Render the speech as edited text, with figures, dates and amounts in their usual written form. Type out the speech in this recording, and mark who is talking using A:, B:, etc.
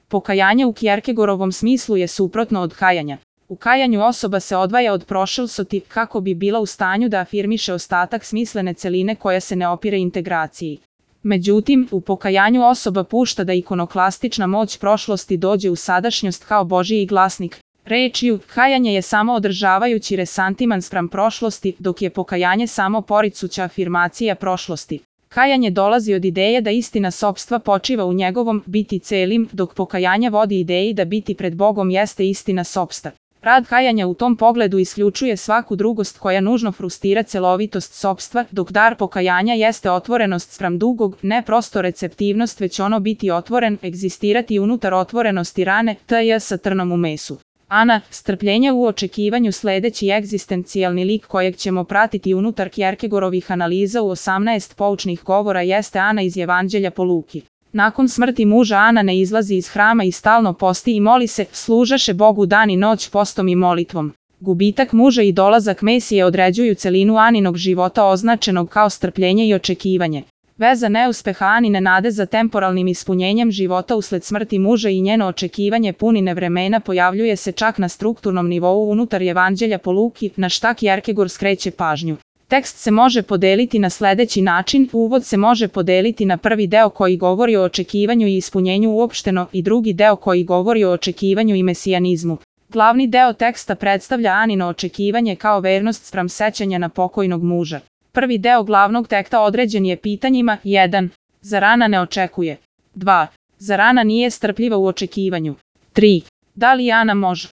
A: Pokajanje u Kierkegaardovom smislu je suprotno od kajanja. U kajanju osoba se odvaja od prošlosti kako bi bila u stanju da afirmiše ostatak smislene celine koja se ne opire integraciji. Međutim, u pokajanju osoba pušta da ikonoklastična moć prošlosti dođe u sadašnjost kao Božji glasnik. Rečju, kajanje je samo održavajući resantiman spram prošlosti, dok je pokajanje samo poricuća afirmacija prošlosti. Kajanje dolazi od ideje da istina sopstva počiva u njegovom biti celim, dok pokajanje vodi ideji da biti pred Bogom jeste istina sopstva. Rad kajanja u tom pogledu isključuje svaku drugost koja nužno frustrira celovitost sopstva, dok dar pokajanja jeste otvorenost spram dugog, ne prosto receptivnost, već ono biti otvoren, egzistirati unutar otvorenosti rane, t.j. sa trnom u mesu. Ana, strpljenje u očekivanju. Sledeći egzistencijalni lik kojeg ćemo pratiti unutar Kierkegaardovih analiza u 18 poučnih govora jeste Ana iz Evanđelja po Luki. Nakon smrti muža Ana ne izlazi iz hrama i stalno posti i moli se, služaše Bogu dan i noć postom i molitvom. Gubitak muža i dolazak Mesije određuju celinu Aninog života označenog kao strpljenje i očekivanje. Veza neuspeha Anine nade za temporalnim ispunjenjem života usled smrti muža i njeno očekivanje punine vremena pojavljuje se čak na strukturnom nivou unutar Evanđelja po Luki, na šta Kierkegaard skreće pažnju. Tekst se može podeliti na sledeći način, uvod se može podeliti na prvi deo koji govori o očekivanju i ispunjenju uopšteno i drugi deo koji govori o očekivanju i mesijanizmu. Glavni deo teksta predstavlja Anino očekivanje kao vernost spram sećanja na pokojnog muža. Prvi deo glavnog teksta određen je pitanjima 1. Zar Ana ne očekuje? 2. Zar Ana nije strpljiva u očekivanju? 3. Da li Ana može?